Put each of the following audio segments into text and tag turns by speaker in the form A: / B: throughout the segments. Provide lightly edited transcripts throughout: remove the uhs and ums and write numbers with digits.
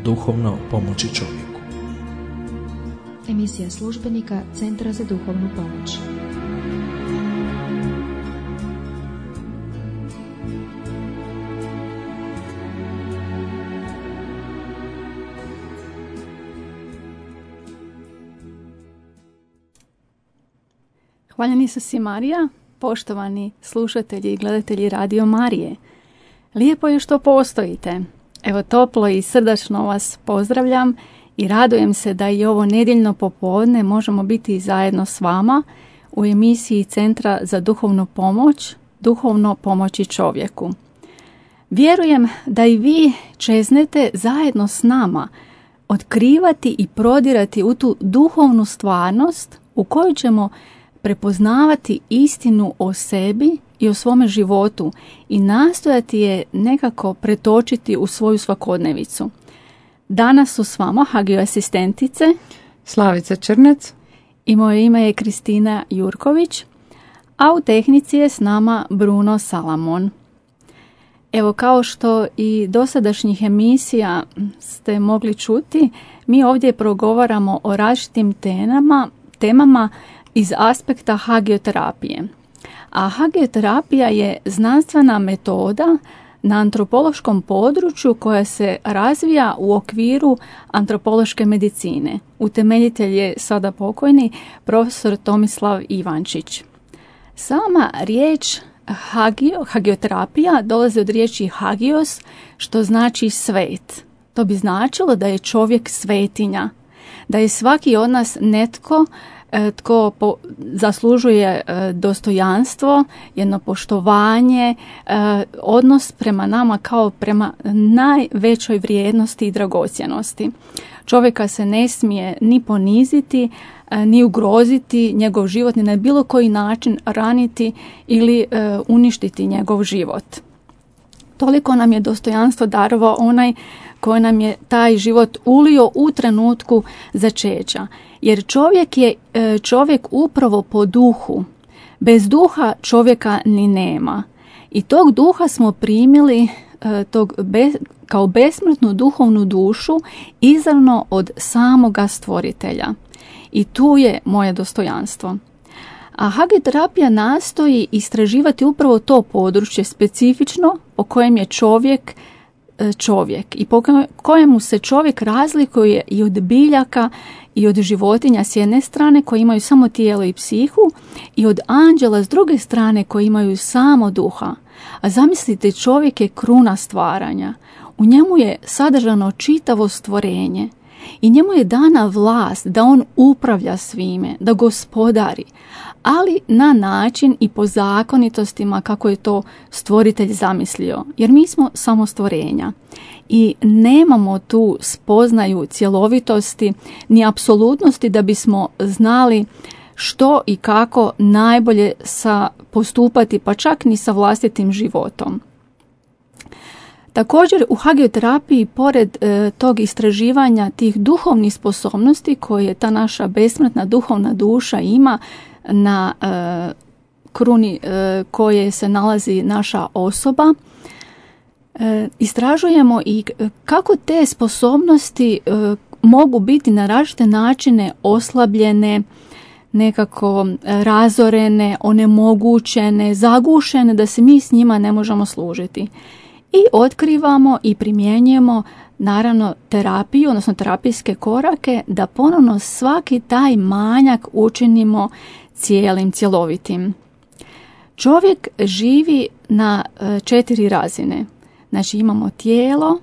A: Duhovno pomoći čovjeku.
B: Emisija službenika Centra za duhovnu pomoć.
C: Hvaljeni su si Marija, poštovani slušatelji i gledatelji Radio Marije. Lijepo je što postojite. Evo, toplo i srdačno vas pozdravljam i radujem se da i ovo nedjeljno popodne možemo biti zajedno s vama u emisiji Centra za duhovnu pomoć, duhovno pomoći čovjeku. Vjerujem da i vi čeznete zajedno s nama otkrivati i prodirati u tu duhovnu stvarnost u kojoj ćemo prepoznavati istinu o sebi i o svome životu i nastojati je nekako pretočiti u svoju svakodnevicu. Danas su s vama Hagio asistentice
D: Slavica Črnec
C: i moje ime je Kristina Jurković, a u tehnici je s nama Bruno Salamon. Evo, kao što i dosadašnjih emisija ste mogli čuti, mi ovdje progovaramo o različitim temama iz aspekta hagioterapije. A hagioterapija je znanstvena metoda na antropološkom području koja se razvija u okviru antropološke medicine. Utemeljitelj je sada pokojni profesor Tomislav Ivančić. Sama riječ hagioterapija dolazi od riječi hagios, što znači svet. To bi značilo da je čovjek svetinja, da je svaki od nas netko tko zaslužuje dostojanstvo, jedno poštovanje, odnos prema nama kao prema najvećoj vrijednosti i dragocjenosti. Čovjeka se ne smije ni poniziti, ni ugroziti njegov život, ni na bilo koji način raniti ili uništiti njegov život. Toliko nam je dostojanstvo darovao onaj koji nam je taj život ulio u trenutku začeća. Jer čovjek je čovjek upravo po duhu. Bez duha čovjeka ni nema. I tog duha smo primili kao besmrtnu duhovnu dušu izravno od samoga stvoritelja. I tu je moje dostojanstvo. A hagioterapija nastoji istraživati upravo to područje specifično po kojem je čovjek i po kojemu se čovjek razlikuje i od biljaka i od životinja s jedne strane koji imaju samo tijelo i psihu i od anđela s druge strane koji imaju samo duha. A zamislite, čovjek je kruna stvaranja. U njemu je sadržano čitavo stvorenje i njemu je dana vlast da on upravlja svime, da gospodari, ali na način i po zakonitostima kako je to stvoritelj zamislio, jer mi smo samo stvorenja i nemamo tu spoznaju cjelovitosti ni apsolutnosti da bismo znali što i kako najbolje postupati, pa čak ni sa vlastitim životom. Također u hagioterapiji, pored tog istraživanja tih duhovnih sposobnosti koje ta naša besmrtna duhovna duša ima na kruni koje se nalazi naša osoba, istražujemo i kako te sposobnosti mogu biti na različite načine oslabljene, nekako razorene, onemogućene, zagušene, da se mi s njima ne možemo služiti. I otkrivamo i primjenjujemo naravno terapiju, odnosno terapijske korake da ponovno svaki taj manjak učinimo cijelim, cjelovitim. Čovjek živi na 4 razine. Znači imamo tijelo,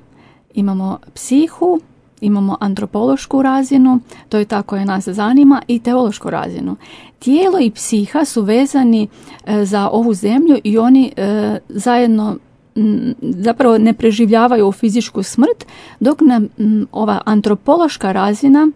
C: imamo psihu, imamo antropološku razinu, to je ta koja nas zanima, i teološku razinu. Tijelo i psiha su vezani za ovu zemlju i oni zajedno zapravo ne preživljavaju fizičku smrt, dok nam ova antropološka razina,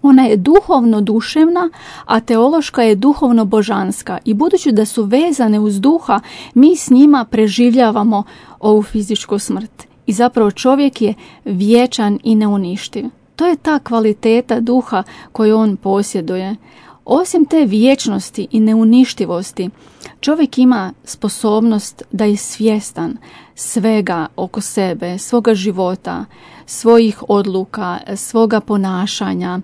C: ona je duhovno duševna, a teološka je duhovno božanska. I budući da su vezane uz duha, mi s njima preživljavamo ovu fizičku smrt. I zapravo čovjek je vječan i neuništiv. To je ta kvaliteta duha koju on posjeduje. Osim te vječnosti i neuništivosti, čovjek ima sposobnost da je svjestan, svega oko sebe, svoga života, svojih odluka, svoga ponašanja,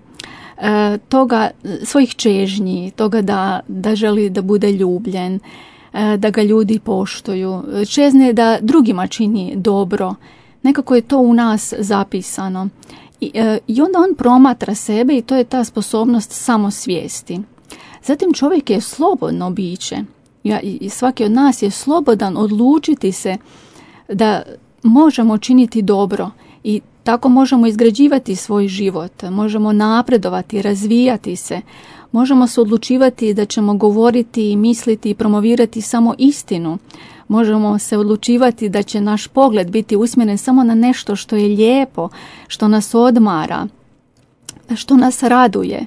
C: svojih čežnji, toga da želi da bude ljubljen, da ga ljudi poštuju, čezne da drugima čini dobro. Nekako je to u nas zapisano. I onda on promatra sebe i to je ta sposobnost samosvijesti. Zatim čovjek je slobodno biće. I svaki od nas je slobodan odlučiti se da možemo činiti dobro i tako možemo izgrađivati svoj život, možemo napredovati, razvijati se, možemo se odlučivati da ćemo govoriti i misliti i promovirati samo istinu. Možemo se odlučivati da će naš pogled biti usmjeren samo na nešto što je lijepo, što nas odmara, što nas raduje.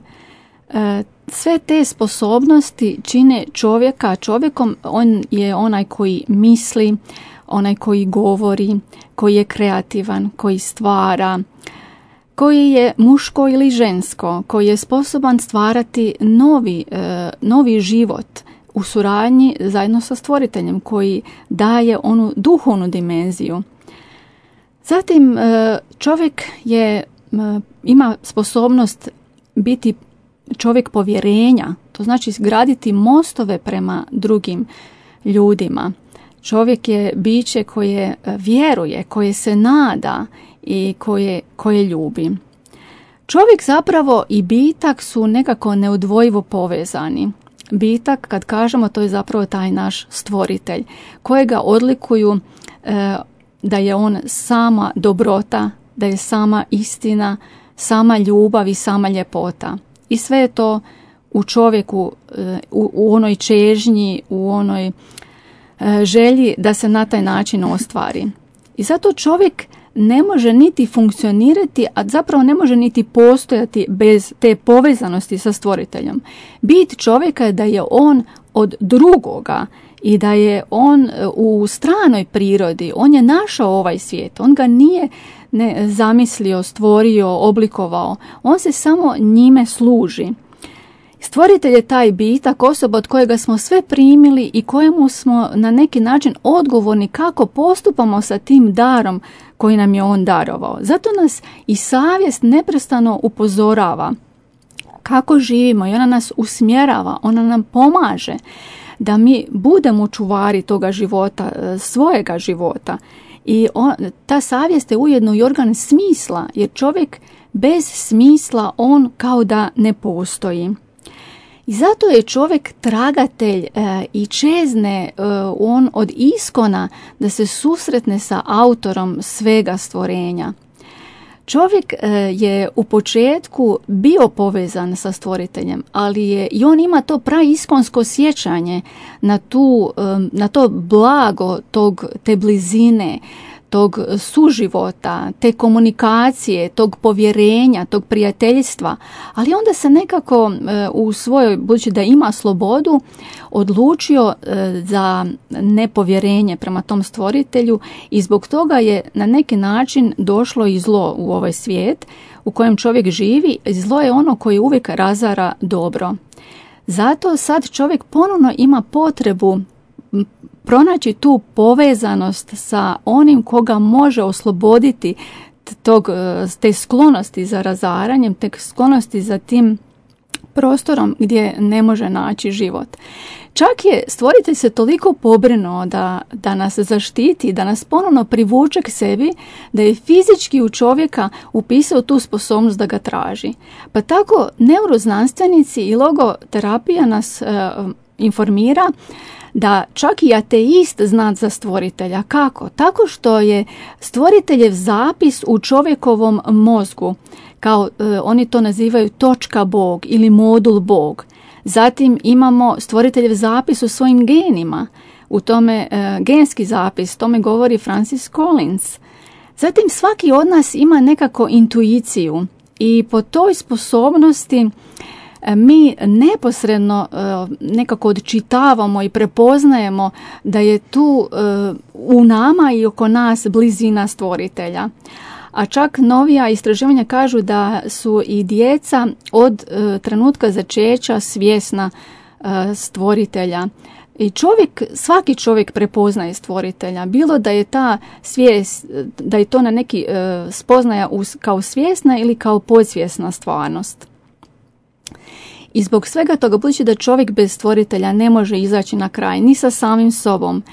C: Sve te sposobnosti čine čovjeka čovjekom. On je onaj koji misli, onaj koji govori, koji je kreativan, koji stvara, koji je muško ili žensko, koji je sposoban stvarati novi život u suradnji zajedno sa stvoriteljem, koji daje onu duhovnu dimenziju. Zatim čovjek ima sposobnost biti čovjek povjerenja, to znači graditi mostove prema drugim ljudima. Čovjek je biće koje vjeruje, koje se nada i koje ljubi. Čovjek zapravo i bitak su nekako neodvojivo povezani. Bitak, kad kažemo, to je zapravo taj naš stvoritelj, kojega odlikuju da je on sama dobrota, da je sama istina, sama ljubav i sama ljepota. I sve je to u čovjeku, u onoj čežnji, u onoj želji da se na taj način ostvari. I zato čovjek ne može niti funkcionirati, a zapravo ne može niti postojati bez te povezanosti sa stvoriteljem. Bit čovjeka je da je on od drugoga i da je on u stranoj prirodi. On je našao ovaj svijet, on ga nije zamislio, stvorio, oblikovao. On se samo njime služi. Stvoritelj je taj bitak, osoba od kojega smo sve primili i kojemu smo na neki način odgovorni kako postupamo sa tim darom koji nam je on darovao. Zato nas i savjest neprestano upozorava kako živimo i ona nas usmjerava, ona nam pomaže da mi budemo čuvari toga života, svojega života. I ta savjest je ujedno i organ smisla, jer čovjek bez smisla on kao da ne postoji. I zato je čovjek tragatelj i čezne on od iskona da se susretne sa autorom svega stvorenja. Čovjek je u početku bio povezan sa stvoriteljem, ali i on ima to praiskonsko sjećanje na to blago te blizine, tog suživota, te komunikacije, tog povjerenja, tog prijateljstva, ali onda se nekako u svojoj, budući da ima slobodu, odlučio za nepovjerenje prema tom stvoritelju i zbog toga je na neki način došlo i zlo u ovaj svijet u kojem čovjek živi. Zlo je ono koje uvijek razara dobro. Zato sad čovjek ponovno ima potrebu pronaći tu povezanost sa onim koga može osloboditi te sklonosti za razaranjem, te sklonosti za tim prostorom gdje ne može naći život. Čak je stvoritelj se toliko pobrinuo da nas zaštiti, da nas ponovno privuče k sebi, da je fizički u čovjeka upisao tu sposobnost da ga traži. Pa tako neuroznanstvenici i logoterapija nas informira da čak i ateist zna za stvoritelja. Kako? Tako što je stvoriteljev zapis u čovjekovom mozgu, kao oni to nazivaju točka Bog ili modul Bog. Zatim imamo stvoriteljev zapis u svojim genima, u tome genski zapis, tome govori Francis Collins. Zatim svaki od nas ima nekako intuiciju i po toj sposobnosti mi neposredno nekako odčitavamo i prepoznajemo da je tu u nama i oko nas blizina stvoritelja. A čak novija istraživanja kažu da su i djeca od trenutka začeća svjesna stvoritelja. I svaki čovjek prepoznaje stvoritelja, bilo da je ta svijest, da je to na neki spoznaja kao svjesna ili kao podsvjesna stvarnost. I zbog svega toga, budući da čovjek bez stvoritelja ne može izaći na kraj ni sa samim sobom,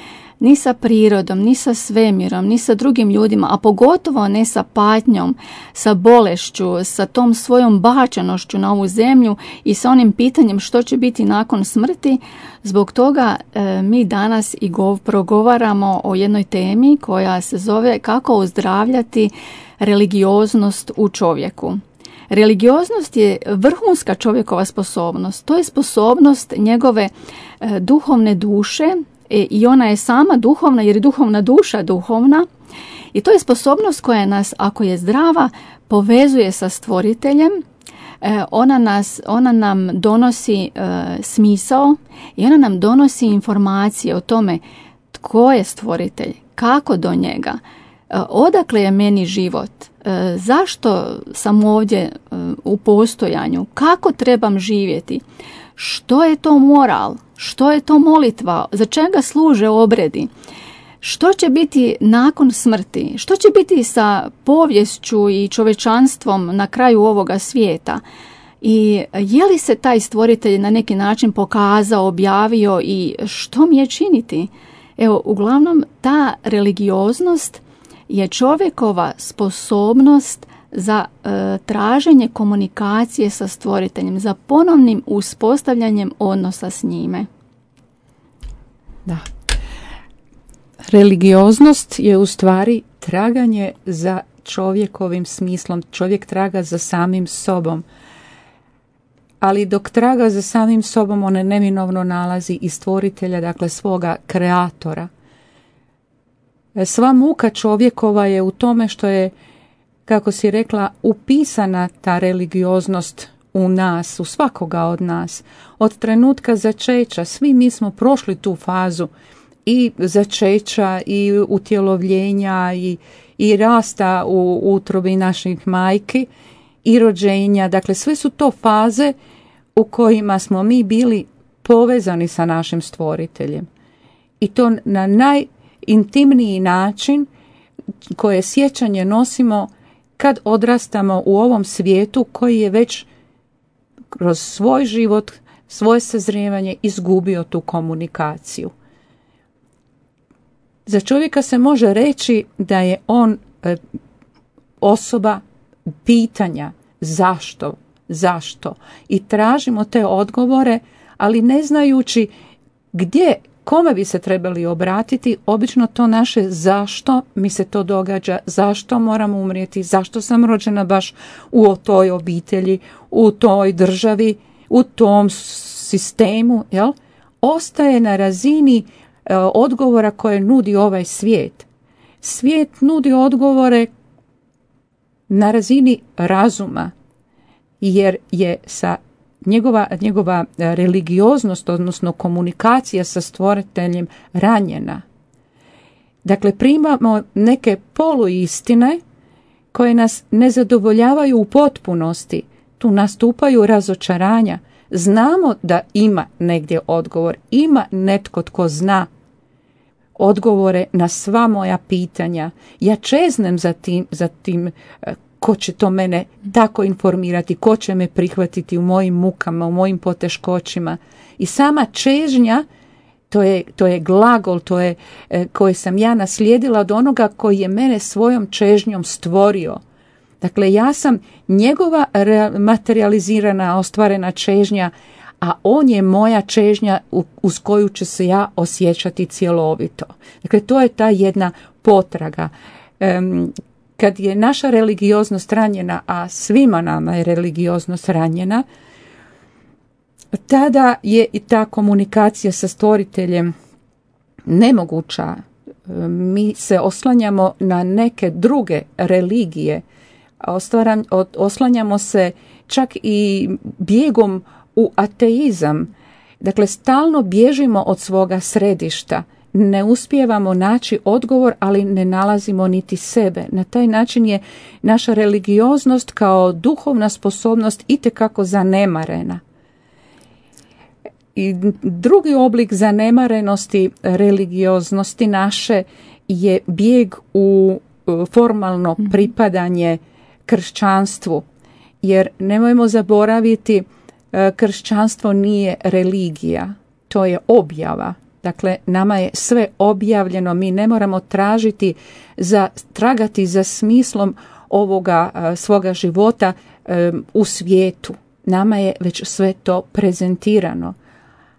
C: ni sa prirodom, ni sa svemirom, ni sa drugim ljudima, a pogotovo ne sa patnjom, sa bolešću, sa tom svojom bačenošću na ovu zemlju i sa onim pitanjem što će biti nakon smrti, zbog toga mi danas i progovaramo o jednoj temi koja se zove kako ozdravljati religioznost u čovjeku. Religioznost je vrhunska čovjekova sposobnost. To je sposobnost njegove duhovne duše i ona je sama duhovna jer je duhovna duša duhovna. I to je sposobnost koja nas, ako je zdrava, povezuje sa stvoriteljem. Ona nam donosi smisao i ona nam donosi informacije o tome tko je stvoritelj, kako do njega, odakle je meni život, zašto sam ovdje u postojanju, kako trebam živjeti, što je to moral, što je to molitva, za čega služe obredi, što će biti nakon smrti, što će biti sa poviješću i čovječanstvom na kraju ovoga svijeta. I je li se taj stvoritelj na neki način pokazao, objavio i što mi je činiti? Evo, uglavnom, ta religioznost je čovjekova sposobnost za traženje komunikacije sa stvoriteljem, za ponovnim uspostavljanjem odnosa s njime.
D: Da. Religioznost je u stvari traganje za čovjekovim smislom. Čovjek traga za samim sobom. Ali dok traga za samim sobom, on neminovno nalazi i stvoritelja, dakle svoga kreatora. Sva muka čovjekova je u tome što je, kako si rekla, upisana ta religioznost u nas, u svakoga od nas. Od trenutka začeća, svi mi smo prošli tu fazu i začeća i utjelovljenja i rasta u utrobi naših majki i rođenja. Dakle, sve su to faze u kojima smo mi bili povezani sa našim stvoriteljem. I to na najintimniji način koje sjećanje nosimo kad odrastamo u ovom svijetu koji je već kroz svoj život, svoje sazrijevanje izgubio tu komunikaciju. Za čovjeka se može reći da je on osoba pitanja zašto i tražimo te odgovore, ali ne znajući gdje, kome bi se trebali obratiti. Obično to naše zašto mi se to događa, zašto moram umrijeti, zašto sam rođena baš u toj obitelji, u toj državi, u tom sistemu, jel? Ostaje na razini odgovora koje nudi ovaj svijet. Svijet nudi odgovore na razini razuma, jer je sa njegova religioznost, odnosno komunikacija sa stvoriteljem ranjena. Dakle, primamo neke poluistine koje nas ne zadovoljavaju u potpunosti. Tu nastupaju razočaranja. Znamo da ima negdje odgovor, ima netko tko zna odgovore na sva moja pitanja. Ja čeznem za tim ko će to mene tako informirati, ko će me prihvatiti u mojim mukama, u mojim poteškoćima. I sama čežnja, to je glagol, koje sam ja naslijedila od onoga koji je mene svojom čežnjom stvorio. Dakle, ja sam njegova materializirana, ostvarena čežnja, a on je moja čežnja uz koju ću se ja osjećati cjelovito. Dakle, to je ta jedna potraga. Kad je naša religioznost ranjena, a svima nama je religioznost ranjena, tada je i ta komunikacija sa stvoriteljem nemoguća. Mi se oslanjamo na neke druge religije, oslanjamo se čak i bijegom u ateizam. Dakle, stalno bježimo od svoga središta. Ne uspijevamo naći odgovor, ali ne nalazimo niti sebe. Na taj način je naša religioznost kao duhovna sposobnost itekako zanemarena. I drugi oblik zanemarenosti religioznosti naše je bijeg u formalno pripadanje kršćanstvu. Jer nemojmo zaboraviti, kršćanstvo nije religija, to je objava. Dakle, nama je sve objavljeno, mi ne moramo tragati za smislom ovoga svoga života u svijetu. Nama je već sve to prezentirano.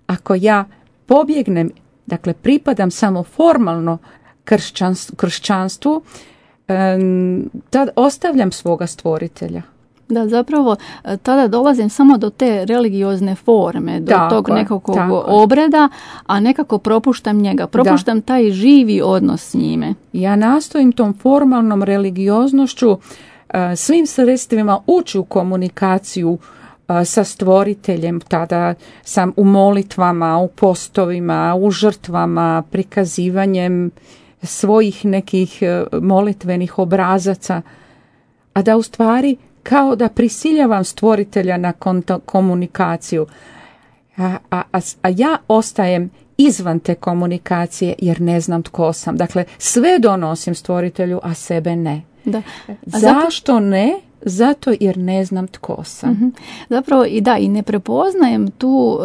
D: Ako ja pobjegnem, dakle pripadam samo formalno kršćanstvu, tad ostavljam svoga stvoritelja.
C: Da, zapravo tada dolazim samo do te religiozne forme, do tog nekakvog obreda, a nekako propuštam njega, propuštam taj živi odnos s njime.
D: Ja nastojim tom formalnom religioznošću svim sredstvima ući u komunikaciju sa stvoriteljem. Tada sam u molitvama, u postovima, u žrtvama, prikazivanjem svojih nekih molitvenih obrazaca, a da u stvari kao da prisiljavam stvoritelja na komunikaciju. A ja ostajem izvan te komunikacije jer ne znam tko sam. Dakle, sve donosim stvoritelju, a sebe ne.
C: Da.
D: Zašto ne? Zato jer ne znam tko sam.
C: Zapravo i ne prepoznajem tu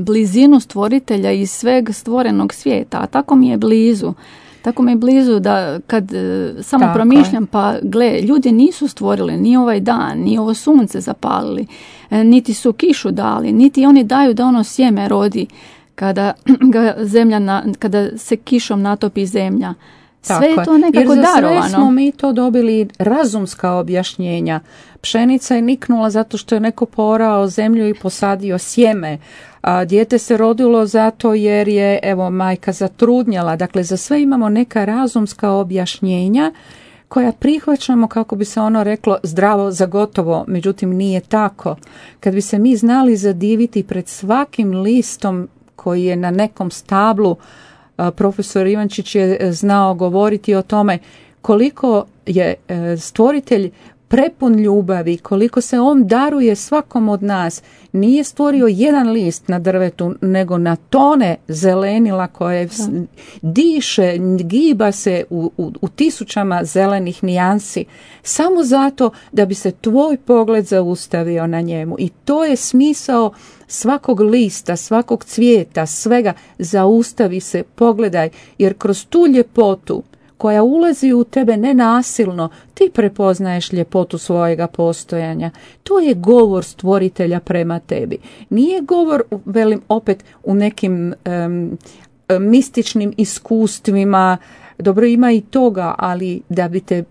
C: blizinu stvoritelja iz sveg stvorenog svijeta, a tako mi je blizu. Tako mi je blizu da kad samo promišljam, pa gle, ljudi nisu stvorili ni ovaj dan, ni ovo sunce zapalili, niti su kišu dali, niti oni daju da ono sjeme rodi kada kada se kišom natopi zemlja. Sve je to nekako darovano.
D: Jer za sve smo mi to dobili razumska objašnjenja. Pšenica je niknula zato što je neko poorao zemlju i posadio sjeme. A dijete se rodilo zato jer je majka zatrudnjala. Dakle, za sve imamo neka razumska objašnjenja koja prihvaćamo, kako bi se ono reklo, zdravo za gotovo. Međutim, nije tako. Kad bi se mi znali zadiviti pred svakim listom koji je na nekom stablu, profesor Ivančić je znao govoriti o tome koliko je stvoritelj prepun ljubavi, koliko se on daruje svakom od nas. Nije stvorio jedan list na drvetu, nego na tone zelenila koje diše, giba se u tisućama zelenih nijansi, samo zato da bi se tvoj pogled zaustavio na njemu. I to je smisao svakog lista, svakog cvijeta, svega. Zaustavi se, pogledaj, jer kroz tu ljepotu koja ulazi u tebe nenasilno, ti prepoznaješ ljepotu svojega postojanja. To je govor stvoritelja prema tebi. Nije govor, velim opet, u nekim mističnim iskustvima. Dobro, ima i toga, ali da bi te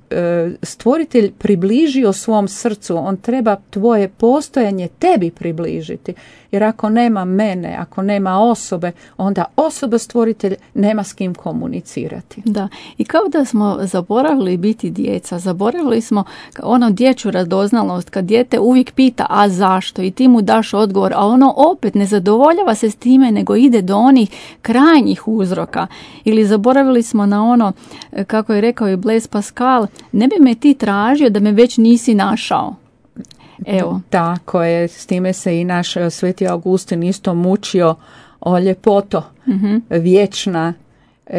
D: stvoritelj približio svom srcu, on treba tvoje postojanje tebi približiti. Jer ako nema mene, ako nema osobe, onda osoba stvoritelj nema s kim komunicirati.
C: Da, i kao da smo zaboravili biti djeca, zaboravili smo ono dječju radoznalost, kad dijete uvijek pita a zašto i ti mu daš odgovor, a ono opet ne zadovoljava se s time, nego ide do onih krajnjih uzroka. Ili zaboravili smo na ono, kako je rekao i Blaise Pascal, ne bi me ti tražio da me već nisi našao. Evo.
D: Tako je, s time se i naš Sveti Augustin isto mučio. O ljepoto, vječna,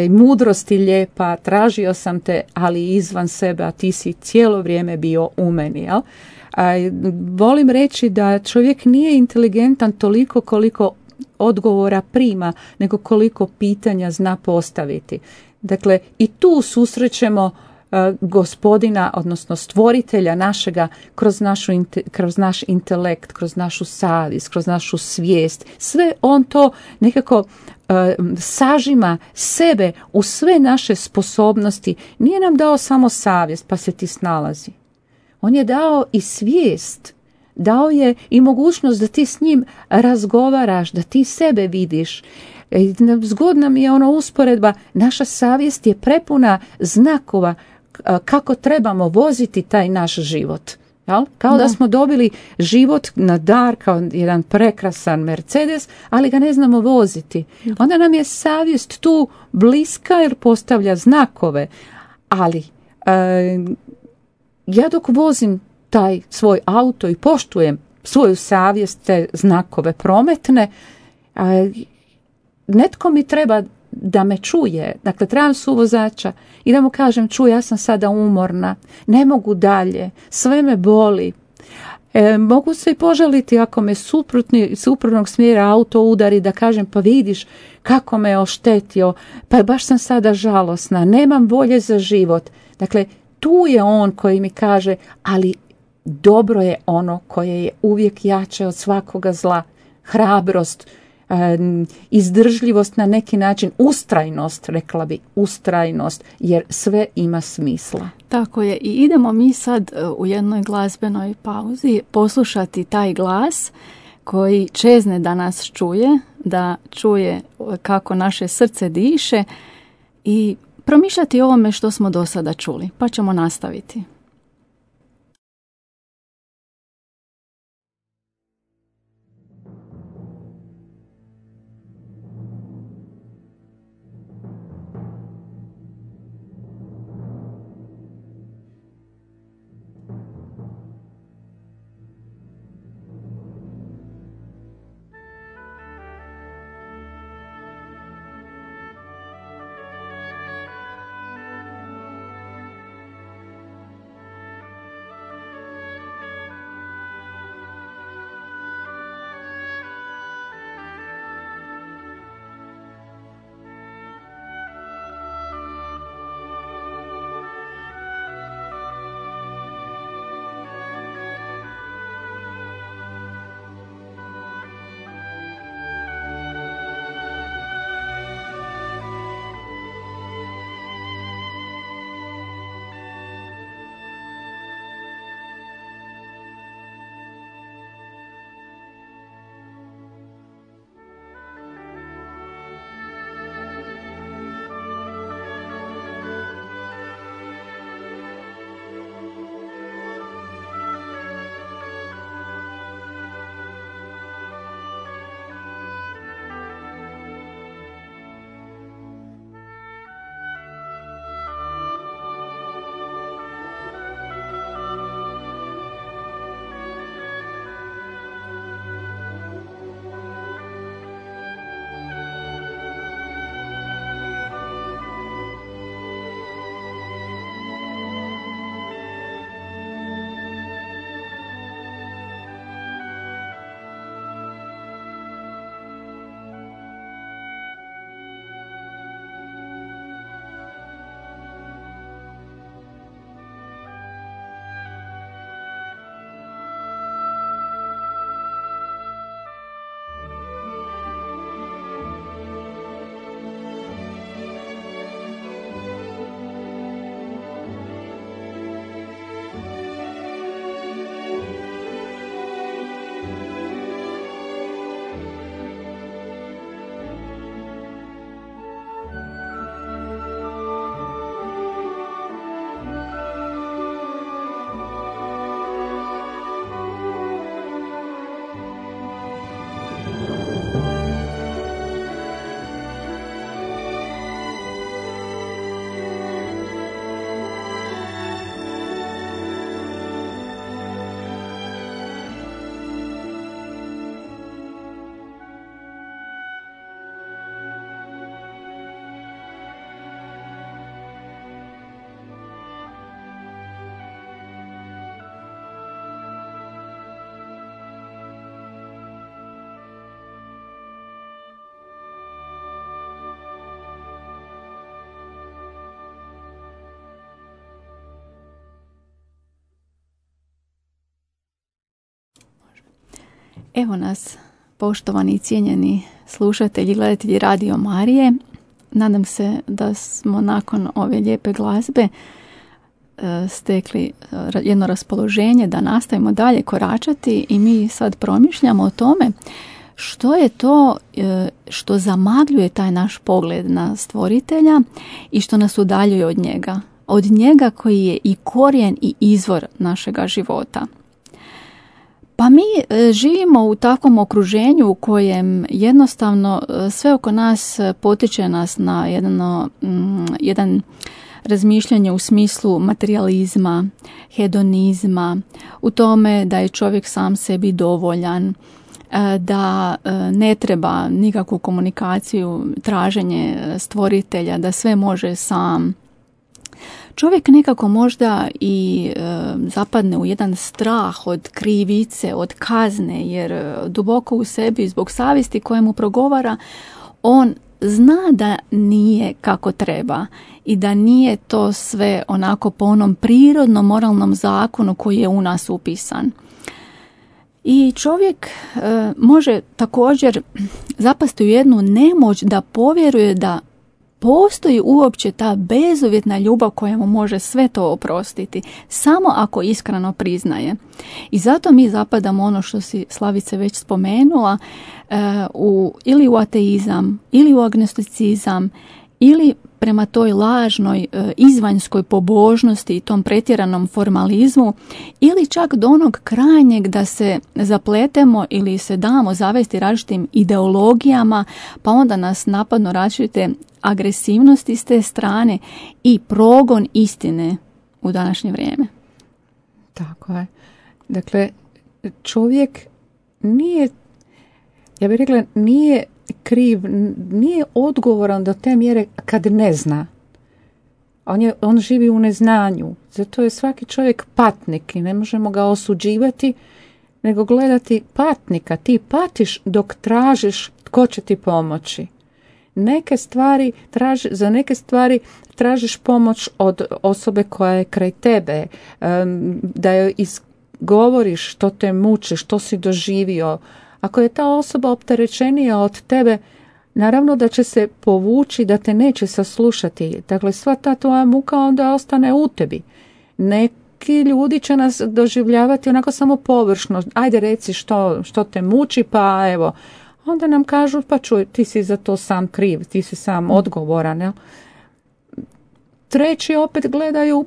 D: mudrosti lijepa, tražio sam te, ali izvan sebe, a ti si cijelo vrijeme bio u meni. Jel? Volim reći da čovjek nije inteligentan toliko koliko odgovora prima, nego koliko pitanja zna postaviti. Dakle, i tu susrećemo Gospodina, odnosno stvoritelja našega kroz naš intelekt, kroz našu savjest, kroz našu svijest. Sve on to nekako sažima sebe u sve naše sposobnosti. Nije nam dao samo savjest pa se ti snalazi. On je dao i svijest. Dao je i mogućnost da ti s njim razgovaraš, da ti sebe vidiš. Zgodna mi je ono usporedba, naša savjest je prepuna znakova kako trebamo voziti taj naš život. Jel? Kao da smo dobili život na dar kao jedan prekrasan Mercedes, ali ga ne znamo voziti. Onda nam je savjest tu bliska jer postavlja znakove. Ali ja dok vozim taj svoj auto i poštujem svoju savjest, te znakove prometne, Netko mi treba da me čuje, dakle trebam suvozača i da mu kažem čuj, ja sam sada umorna, ne mogu dalje, sve me boli. Mogu se i požaliti ako me suprotnog smjera auto udari, da kažem pa vidiš kako me je oštetio, pa baš sam sada žalosna, nemam volje za život. Dakle, tu je on koji mi kaže, ali dobro je ono koje je uvijek jače od svakoga zla, hrabrost, izdržljivost na neki način, ustrajnost, rekla bi, ustrajnost, jer sve ima smisla.
C: Tako je, i idemo mi sad u jednoj glazbenoj pauzi poslušati taj glas koji čezne da nas čuje, da čuje kako naše srce diše i promišljati o ovome što smo do sada čuli, pa ćemo nastaviti. Evo nas, poštovani i cijenjeni slušatelji i gledatelji Radio Marije. Nadam se da smo nakon ove lijepe glazbe stekli jedno raspoloženje da nastavimo dalje koračati i mi sad promišljamo o tome što je to što zamagljuje taj naš pogled na stvoritelja i što nas udaljuje od njega. Od njega koji je i korijen i izvor našega života. Pa mi živimo u takvom okruženju u kojem jednostavno sve oko nas potiče nas na jedan razmišljanje u smislu materijalizma, hedonizma, u tome da je čovjek sam sebi dovoljan, da ne treba nikakvu komunikaciju, traženje stvoritelja, da sve može sam. Čovjek nekako možda i zapadne u jedan strah od krivice, od kazne, jer duboko u sebi zbog savjesti koja mu progovara, on zna da nije kako treba i da nije to sve onako po onom prirodnom moralnom zakonu koji je u nas upisan. I čovjek može također zapasti u jednu nemoć da povjeruje da postoji uopće ta bezuvjetna ljubav koja mu može sve to oprostiti, samo ako iskreno priznaje. I zato mi zapadamo ono što si Slavice već spomenula, ili u ateizam, ili u agnosticizam, ili prema toj lažnoj izvanjskoj pobožnosti i tom pretjeranom formalizmu, ili čak do onog krajnjeg da se zapletemo ili se damo zavesti različitim ideologijama, pa onda nas napadno različite agresivnosti s te strane i progon istine u današnje vrijeme.
D: Tako je. Dakle, čovjek nije, ja bih rekla, nije kriv, nije odgovoran do te mjere kad ne zna. On živi u neznanju. Zato je svaki čovjek patnik i ne možemo ga osuđivati, nego gledati patnika. Ti patiš dok tražiš tko će ti pomoći. Za neke stvari tražiš pomoć od osobe koja je kraj tebe, da joj izgovoriš što te muči, što si doživio. Ako je ta osoba opterećenija od tebe, naravno da će se povući, da te neće saslušati. Dakle, sva ta tvoja muka onda ostane u tebi. Neki ljudi će nas doživljavati onako samo površno. Ajde reci što te muči, pa evo. Onda nam kažu, pa čuj, ti si za to sam kriv, ti si sam odgovoran. Jel? Treći opet gledaju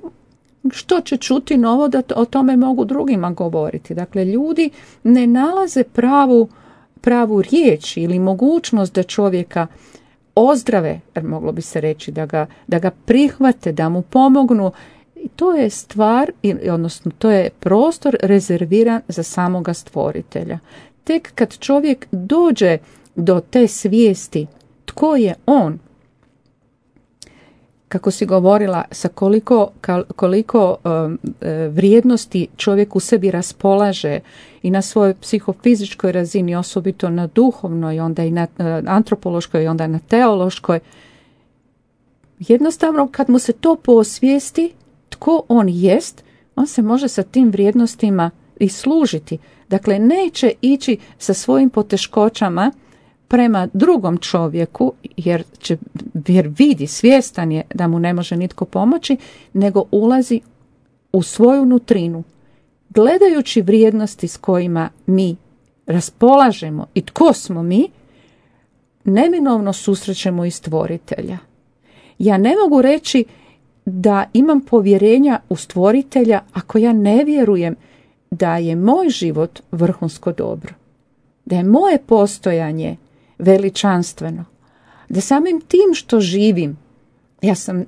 D: što će čuti novo da o tome mogu drugima govoriti. Dakle, ljudi ne nalaze pravu riječ ili mogućnost da čovjeka ozdrave, jer moglo bi se reći da ga prihvate, da mu pomognu. I to je stvar, odnosno to je prostor rezerviran za samoga stvoritelja. Tek kad čovjek dođe do te svijesti tko je on, kako si govorila, sa koliko vrijednosti čovjek u sebi raspolaže i na svojoj psihofizičkoj razini, osobito na duhovnoj, onda i na antropološkoj, onda na teološkoj. Jednostavno, kad mu se to posvijesti, tko on jest, on se može sa tim vrijednostima i služiti. Dakle, neće ići sa svojim poteškoćama prema drugom čovjeku, jer vidi, svjestan je da mu ne može nitko pomoći, nego ulazi u svoju nutrinu, gledajući vrijednosti s kojima mi raspolažemo i tko smo mi, neminovno susrećemo i stvoritelja. Ja ne mogu reći da imam povjerenja u stvoritelja ako ja ne vjerujem da je moj život vrhunsko dobro, da je moje postojanje veličanstveno, da samim tim što živim ja sam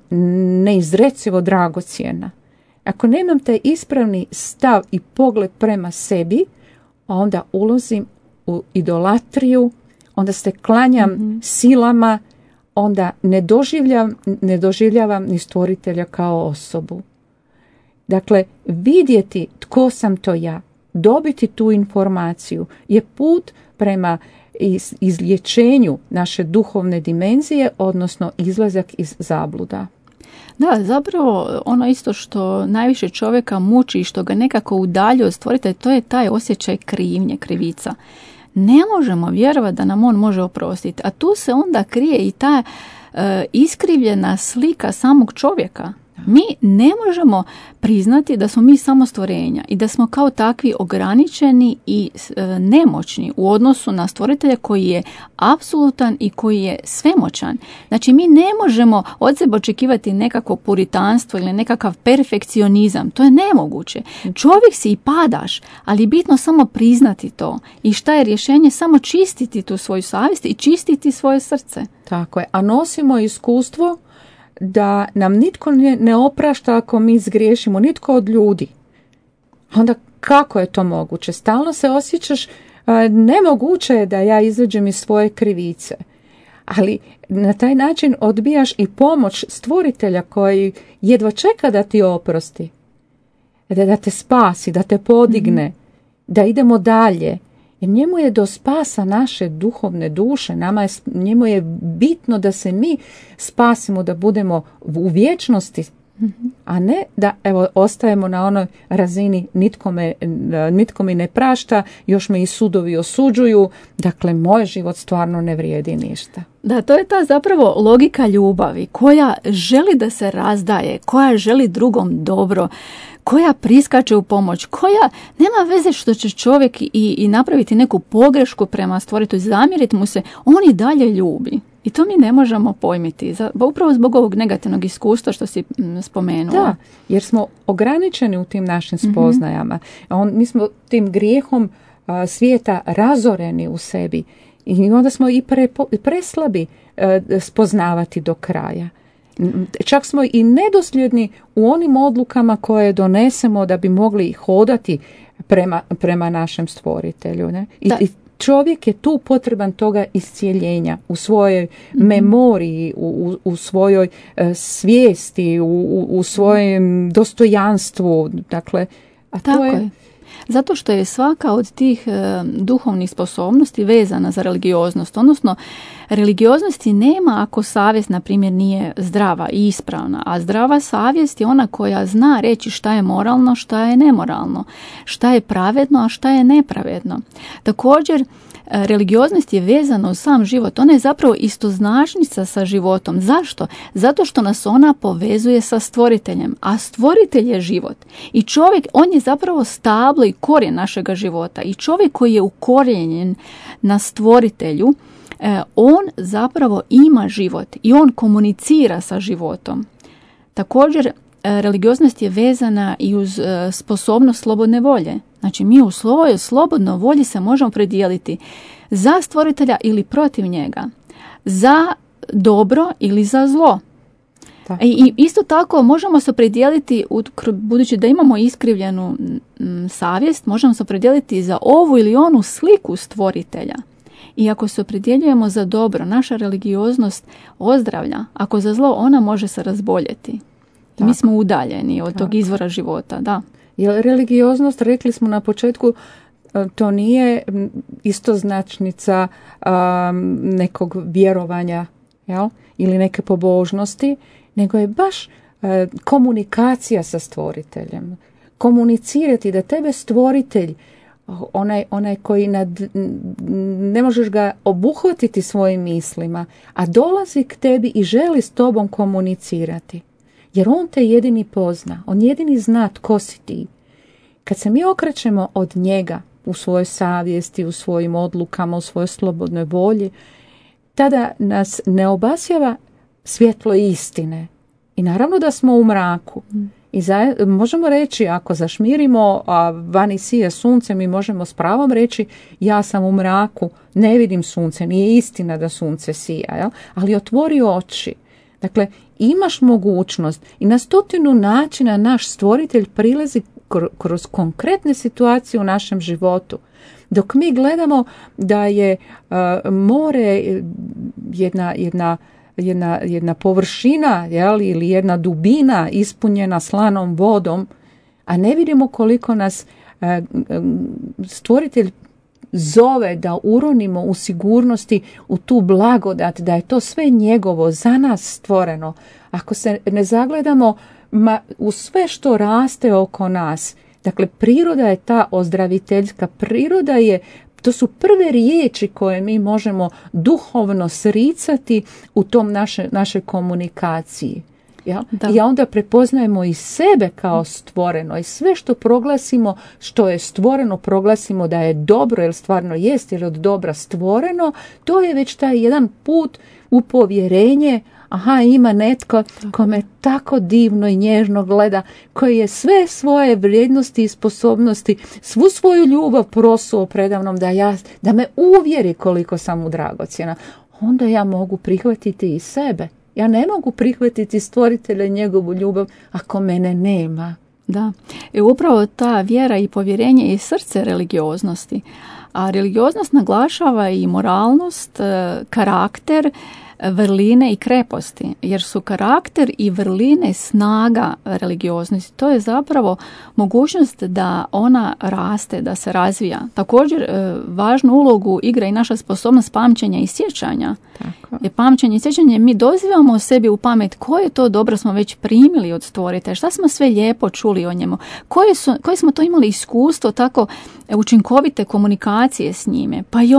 D: neizrecivo dragocjena. Ako nemam taj ispravni stav i pogled prema sebi, onda ulazim u idolatriju, onda se klanjam silama, onda ne doživljavam ni stvoritelja kao osobu. Dakle, vidjeti tko sam to ja, dobiti tu informaciju je put prema izlječenju naše duhovne dimenzije, odnosno izlazak iz zabluda.
C: Da, zapravo ono isto što najviše čovjeka muči i što ga nekako udaljuje od stvoritelja, to je taj osjećaj krivnje, krivica. Ne možemo vjerovati da nam on može oprostiti, a tu se onda krije i ta iskrivljena slika samog čovjeka. Mi ne možemo priznati da smo mi samo stvorenja i da smo kao takvi ograničeni i nemoćni u odnosu na stvoritelja koji je apsolutan i koji je svemoćan. Znači mi ne možemo od sebe očekivati nekakvo puritanstvo ili nekakav perfekcionizam. To je nemoguće. Čovjek si i padaš, ali bitno samo priznati to. I šta je rješenje? Samo čistiti tu svoju savjest i čistiti svoje srce.
D: Tako je. A nosimo iskustvo da nam nitko ne oprašta ako mi zgriješimo, nitko od ljudi. Onda kako je to moguće? Stalno se osjećaš nemoguće je da ja izađem iz svoje krivice. Ali na taj način odbijaš i pomoć stvoritelja koji jedva čeka da ti oprosti, da te spasi, da te podigne, da idemo dalje. Jer njemu je do spasa naše duhovne duše, njemu je bitno da se mi spasimo, da budemo u vječnosti, a ne da ostajemo na onoj razini nitko mi ne prašta, još me i sudovi osuđuju, dakle moj život stvarno ne vrijedi ništa.
C: Da, to je ta zapravo logika ljubavi koja želi da se razdaje, koja želi drugom dobro, koja priskače u pomoć, koja nema veze što će čovjek i napraviti neku pogrešku prema stvoritelju, zamjeriti mu se, on i dalje ljubi. I to mi ne možemo pojmiti, upravo zbog ovog negativnog iskustva što si spomenula.
D: Da, jer smo ograničeni u tim našim spoznajama. Mi smo tim grijehom svijeta razoreni u sebi i onda smo i preslabi spoznavati do kraja. Čak smo i nedosljedni u onim odlukama koje donesemo da bi mogli hodati prema našem stvoritelju. Ne? I čovjek je tu potreban toga iscijeljenja u svojoj memoriji, u svojoj svijesti, u svojem dostojanstvu. Dakle,
C: Tako je. Zato što je svaka od tih duhovnih sposobnosti vezana za religioznost. Odnosno, religioznosti nema ako savjest, na primjer, nije zdrava i ispravna. A zdrava savjest je ona koja zna reći šta je moralno, šta je nemoralno, šta je pravedno, a šta je nepravedno. Također, religioznost je vezana uz sam život. Ona je zapravo istoznačnica sa životom. Zašto? Zato što nas ona povezuje sa stvoriteljem. A stvoritelj je život. I čovjek, on je zapravo stablo i korijen našega života. I čovjek koji je ukorijenjen na stvoritelju, on zapravo ima život i on komunicira sa životom. Također, religioznost je vezana i uz sposobnost slobodne volje. Znači, mi u svojoj slobodnoj volji se možemo predijeliti za stvoritelja ili protiv njega, za dobro ili za zlo. I isto tako možemo se opredijeliti, budući da imamo iskrivljenu savjest, možemo se opredijeliti za ovu ili onu sliku stvoritelja. I ako se opredjeljujemo za dobro, naša religioznost ozdravlja. Ako za zlo, ona može se razboljeti. I mi smo udaljeni od tog izvora života, da.
D: Jer religioznost, rekli smo na početku, to nije istoznačnica nekog vjerovanja, jel? Ili neke pobožnosti, nego je baš komunikacija sa stvoriteljem. Komunicirati da tebe stvoritelj, onaj koji ne možeš ga obuhvatiti svojim mislima, a dolazi k tebi i želi s tobom komunicirati. Jer on te jedini pozna, on jedini zna tko si ti. Kad se mi okrećemo od njega u svojoj savjesti, u svojim odlukama, u svojoj slobodnoj volji, tada nas ne obasjava svjetlo istine. I naravno da smo u mraku. I možemo reći, ako zašmirimo, a vani sije sunce, mi možemo s pravom reći, ja sam u mraku, ne vidim sunce, nije istina da sunce sija, jel? Ali otvori oči. Dakle, imaš mogućnost i na 100 načina naš stvoritelj prilazi kroz konkretne situacije u našem životu. Dok mi gledamo da je more jedna površina, jel, ili jedna dubina ispunjena slanom vodom, a ne vidimo koliko nas stvoritelj zove da uronimo u sigurnosti u tu blagodat, da je to sve njegovo, za nas stvoreno. Ako se ne zagledamo u sve što raste oko nas, dakle priroda je ta ozdraviteljska, priroda je, to su prve riječi koje mi možemo duhovno sricati u tom našoj komunikaciji. Ja? I onda prepoznajemo i sebe kao stvoreno i sve što proglasimo, što je stvoreno, proglasimo da je dobro, jer stvarno jest, jer je od dobra stvoreno, to je već taj jedan put u povjerenje. Aha, ima netko ko me tako divno i nježno gleda, koji je sve svoje vrijednosti i sposobnosti, svu svoju ljubav prosuo predavnom da me uvjeri koliko sam mu dragocjena. Onda ja mogu prihvatiti i sebe. Ja ne mogu prihvatiti stvoritelja i njegovu ljubav ako mene nema.
C: Da, upravo ta vjera i povjerenje je srce religioznosti. A religioznost naglašava i moralnost, karakter, vrline i kreposti, jer su karakter i vrline snaga religioznosti. To je zapravo mogućnost da ona raste, da se razvija. Također, važnu ulogu igra i naša sposobnost pamćenja i sjećanja.
D: Tako.
C: Jer pamćenje i sjećanje, mi dozivamo o sebi u pamet koje to dobro smo već primili od stvoritelja, šta smo sve lijepo čuli o njemu, koje smo to imali iskustvo tako učinkovite komunikacije s njime. Pa i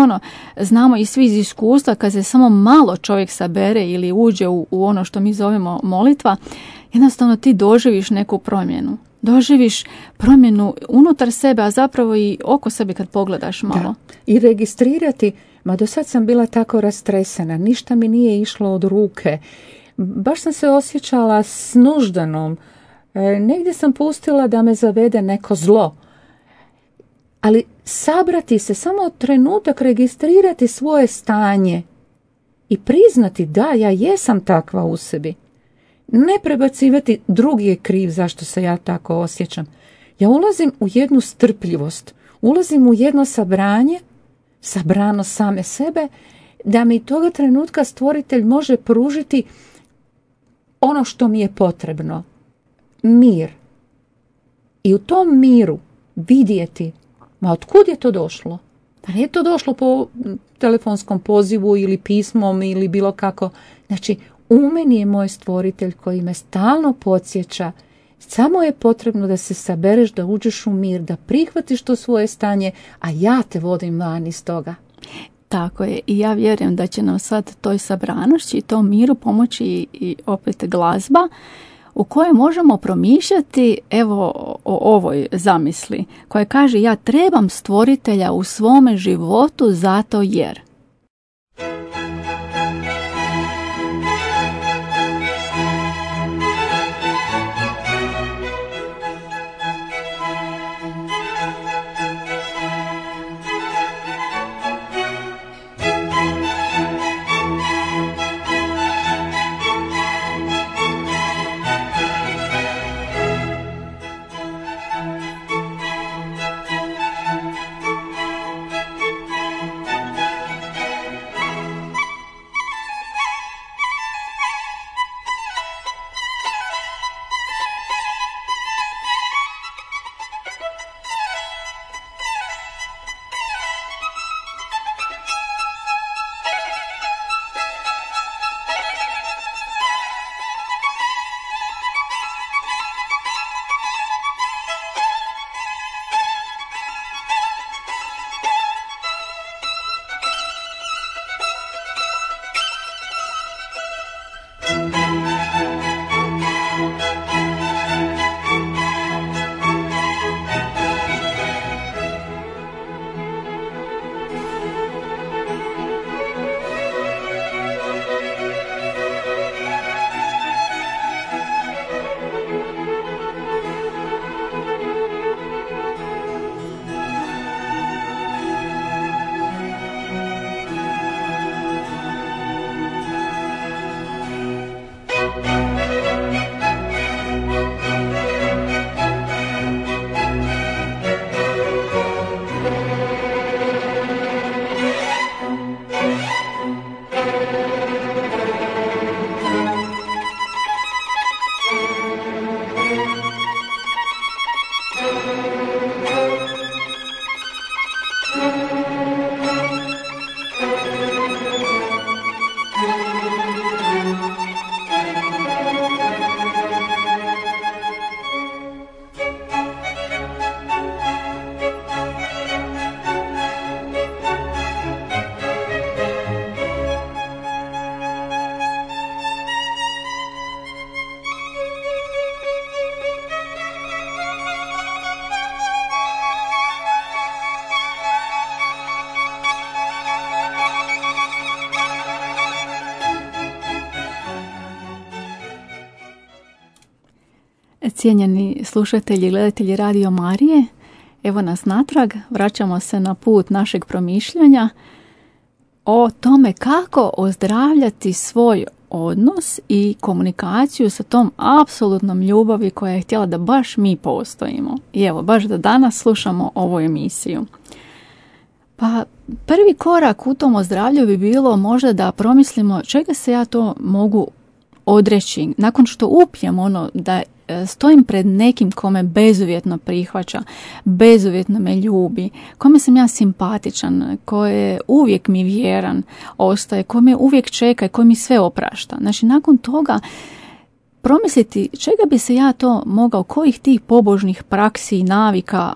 C: znamo i svi iz iskustva kad se samo malo čovjek sabere ili uđe u ono što mi zovemo molitva, jednostavno ti doživiš neku promjenu. Doživiš promjenu unutar sebe, a zapravo i oko sebe kad pogledaš malo.
D: Da. I registrirati, do sad sam bila tako rastresena, ništa mi nije išlo od ruke. Baš sam se osjećala snuždanom. Negdje sam pustila da me zavede neko zlo. Ali sabrati se, samo trenutak registrirati svoje stanje i priznati da, ja jesam takva u sebi. Ne prebacivati drugi je kriv zašto se ja tako osjećam. Ja ulazim u jednu strpljivost, ulazim u jedno sabrano same sebe, da mi toga trenutka stvoritelj može pružiti ono što mi je potrebno. Mir. I u tom miru vidjeti, otkud je to došlo? Da nije to došlo po telefonskom pozivu ili pismom ili bilo kako. Znači, u meni je moj stvoritelj koji me stalno podsjeća. Samo je potrebno da se sabereš, da uđeš u mir, da prihvatiš to svoje stanje, a ja te vodim van iz toga.
C: Tako je, i ja vjerujem da će nam sad toj sabranošći i tom miru pomoći i opet glazba u kojoj možemo promišljati o ovoj zamisli koja kaže ja trebam stvoritelja u svome životu zato jer. Cijenjeni slušatelji i gledatelji Radio Marije, evo nas natrag, vraćamo se na put našeg promišljanja o tome kako ozdravljati svoj odnos i komunikaciju sa tom apsolutnom ljubavi koja je htjela da baš mi postojimo. I evo, baš da danas slušamo ovu emisiju. Pa prvi korak u tom ozdravlju bi bilo možda da promislimo čega se ja to mogu odreći. Nakon što upijem ono da stojim pred nekim kome bezuvjetno prihvaća, bezuvjetno me ljubi, kome sam ja simpatičan, koje uvijek mi vjeran ostaje, kome uvijek čeka i koji mi sve oprašta. Znači, nakon toga promisliti čega bi se ja to mogao, kojih tih pobožnih praksi i navika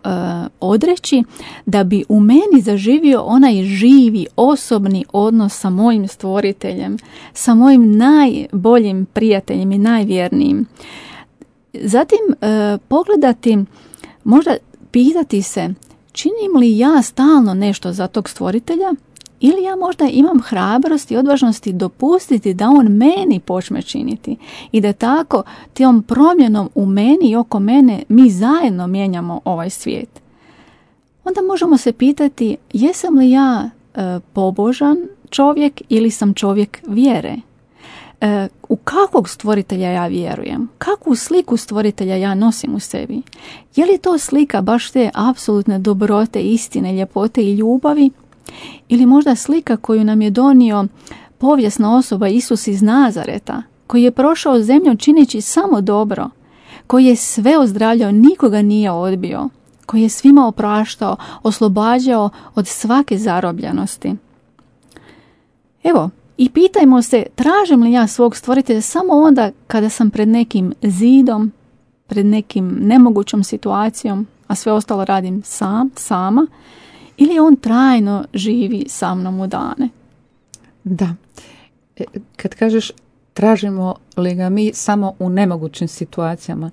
C: odreći da bi u meni zaživio onaj živi, osobni odnos sa mojim stvoriteljem, sa mojim najboljim prijateljem i najvjernijim. Zatim pogledati, možda pitati se činim li ja stalno nešto za tog stvoritelja ili ja možda imam hrabrosti i odvažnosti dopustiti da on meni počne činiti i da tako tom promjenom u meni i oko mene mi zajedno mijenjamo ovaj svijet. Onda možemo se pitati jesam li ja pobožan čovjek ili sam čovjek vjere? U kakvog stvoritelja ja vjerujem? Kakvu sliku stvoritelja ja nosim u sebi? Je li to slika baš te apsolutne dobrote, istine, ljepote i ljubavi? Ili možda slika koju nam je donio povijesna osoba Isus iz Nazareta, koji je prošao zemljom čineći samo dobro, koji je sve ozdravljao, nikoga nije odbio, koji je svima opraštao, oslobađao od svake zarobljenosti. Evo, i pitajmo se, tražim li ja svog stvoritelja samo onda kada sam pred nekim zidom, pred nekim nemogućom situacijom, a sve ostalo radim sama, ili on trajno živi sa mnom u dane?
D: Da. Kad kažeš tražimo li ga mi samo u nemogućim situacijama,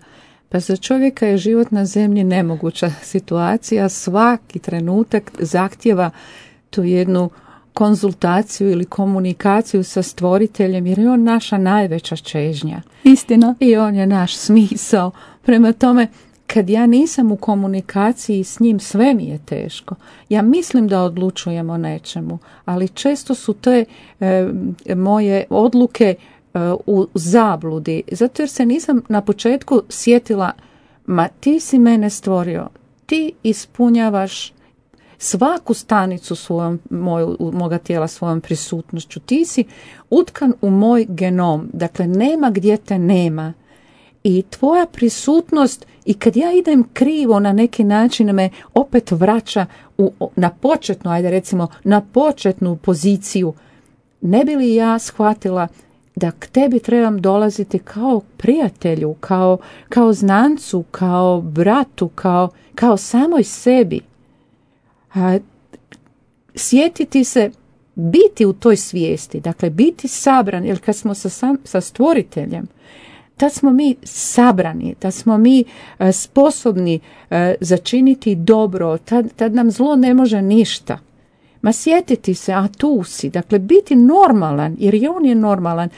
D: pa za čovjeka je život na zemlji nemoguća situacija, svaki trenutak zahtjeva tu jednu konzultaciju ili komunikaciju sa stvoriteljem, jer je on naša najveća čežnja.
C: Istina.
D: I on je naš smisao. Prema tome, kad ja nisam u komunikaciji s njim, sve mi je teško. Ja mislim da odlučujem o nečemu, ali često su te moje odluke u zabludi. Zato jer se nisam na početku sjetila, ma ti si mene stvorio, ti ispunjavaš svaku stanicu moga tijela svojom prisutnošću. Ti si utkan u moj genom, dakle nema gdje te nema. I tvoja prisutnost, i kad ja idem krivo na neki način, me opet vraća na početnu, na početnu poziciju. Ne bi li ja shvatila da k tebi trebam dolaziti kao prijatelju, kao znancu, kao bratu, kao samoj sebi. Sjetiti se, biti u toj svijesti, dakle biti sabran, jer kad smo sa stvoriteljem, tad smo mi sabrani, tad smo mi sposobni začiniti dobro, tad nam zlo ne može ništa. Ma sjetiti se, a tu si, dakle biti normalan, jer i on je normalan.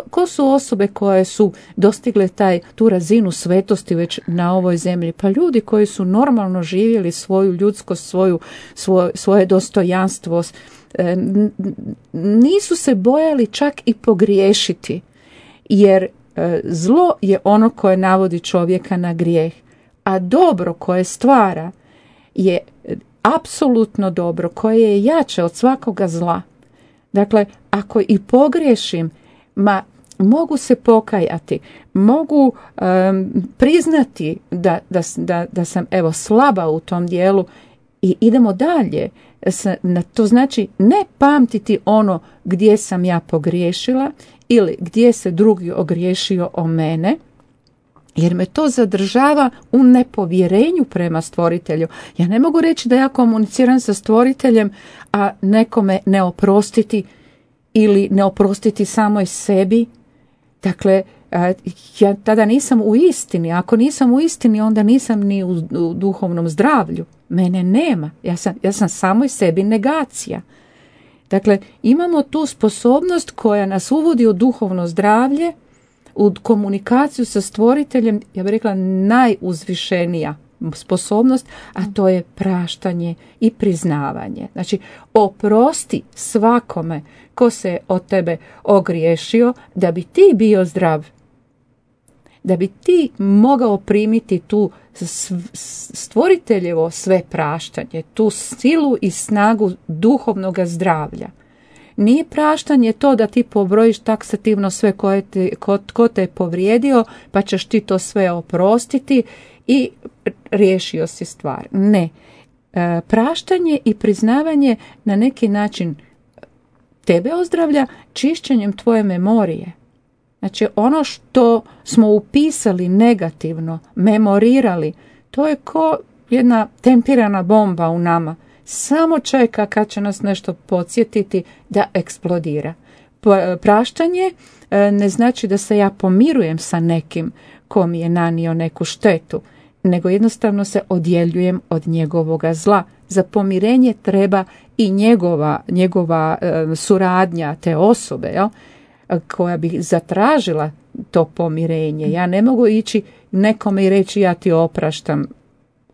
D: Ko su osobe koje su dostigle tu razinu svetosti već na ovoj zemlji? Pa ljudi koji su normalno živjeli svoju ljudskost, svoje dostojanstvo, nisu se bojali čak i pogriješiti, jer zlo je ono koje navodi čovjeka na grijeh, a dobro koje stvara je apsolutno dobro, koje je jače od svakoga zla. Dakle, ako i pogriješim, mogu se pokajati, mogu priznati da sam slaba u tom dijelu i idemo dalje. To znači ne pamtiti ono gdje sam ja pogriješila ili gdje se drugi ogriješio o mene, jer me to zadržava u nepovjerenju prema stvoritelju. Ja ne mogu reći da ja komuniciram sa stvoriteljem, a nekome ne oprostiti ili ne oprostiti samoj sebi. Dakle, ja tada nisam u istini. Ako nisam u istini, onda nisam ni u duhovnom zdravlju. Mene nema. Ja sam samoj sebi negacija. Dakle, imamo tu sposobnost koja nas uvodi u duhovno zdravlje, u komunikaciju sa stvoriteljem, ja bih rekla najuzvišenija sposobnost, a to je praštanje i priznavanje. Znači, oprosti svakome ko se od tebe ogriješio da bi ti bio zdrav. da bi ti mogao primiti tu stvoriteljevo sve praštanje, tu silu i snagu duhovnog zdravlja. Nije praštanje to da ti pobrojiš taksativno sve ko te je povrijedio, pa ćeš ti to sve oprostiti i riješio si stvar. Ne. Praštanje i priznavanje na neki način tebe ozdravlja čišćenjem tvoje memorije. Znači ono što smo upisali negativno, memorirali, to je ko jedna tempirana bomba u nama. Samo čeka kad će nas nešto podsjetiti da eksplodira. Praštanje ne znači da se ja pomirujem sa nekim ko mi je nanio neku štetu, nego jednostavno se odjeljujem od njegovoga zla. Za pomirenje treba i njegova suradnja te osobe, jel? Koja bi zatražila to pomirenje. Ja ne mogu ići nekome i reći ja ti opraštam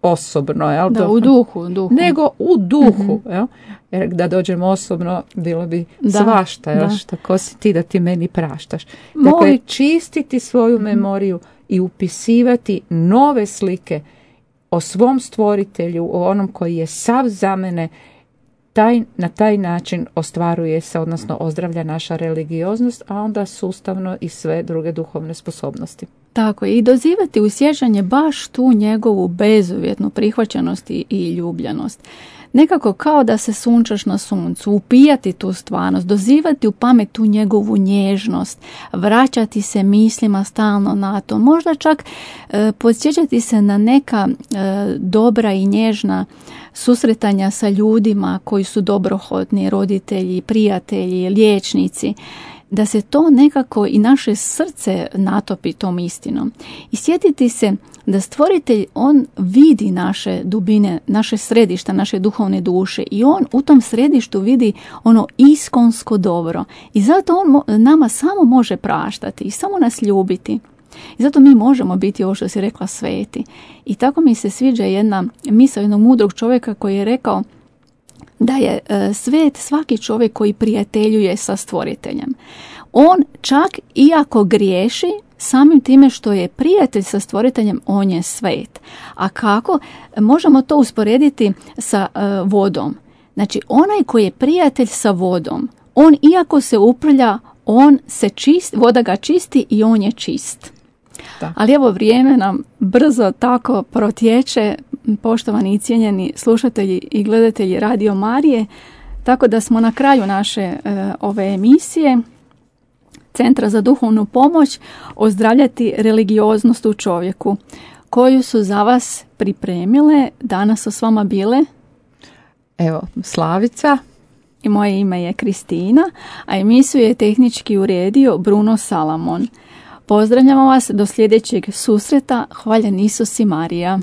D: osobno, jel?
C: Da, u duhu.
D: Nego u duhu, jel? Jer da dođem osobno bilo bi svašta, jel? Ko si ti da ti meni praštaš? Dakle, čistiti svoju memoriju i upisivati nove slike o svom stvoritelju, o onom koji je sav za mene, na taj način ostvaruje se, odnosno ozdravlja naša religioznost, a onda sustavno i sve druge duhovne sposobnosti.
C: Tako je, i dozivati u sjećanje baš tu njegovu bezuvjetnu prihvaćenost i ljubljenost. Nekako kao da se sunčaš na suncu, upijati tu stvarnost, dozivati u pamet tu njegovu nježnost, vraćati se mislima stalno na to, možda čak podsjećati se na neka dobra i nježna susretanja sa ljudima koji su dobrohotni, roditelji, prijatelji, liječnici, da se to nekako i naše srce natopi tom istinom. I sjetiti se da stvoritelj, on vidi naše dubine, naše središta, naše duhovne duše i on u tom središtu vidi ono iskonsko dobro. I zato on nama samo može praštati i samo nas ljubiti. I zato mi možemo biti, ovo što si rekla, sveti. I tako mi se sviđa jedna misao jednog mudrog čovjeka koji je rekao da je svet svaki čovjek koji prijateljuje sa stvoriteljem. On čak iako griješi, samim time što je prijatelj sa stvoriteljem, on je svet. A kako? Možemo to usporediti sa vodom. Znači, onaj koji je prijatelj sa vodom, on iako se uprlja, on se čisti, voda ga čisti i on je čist. Da. Ali evo, vrijeme nam brzo tako protječe, poštovani i cijenjeni slušatelji i gledatelji Radio Marije, tako da smo na kraju naše ove emisije Centra za duhovnu pomoć ozdravljati religioznost u čovjeku, koju su za vas pripremile. Danas su s vama bile
D: evo Slavica
C: i moje ime je Kristina, a emisiju je tehnički uredio Bruno Salamon. Pozdravljamo vas do sljedećeg susreta. Hvaljen Isus i Marija.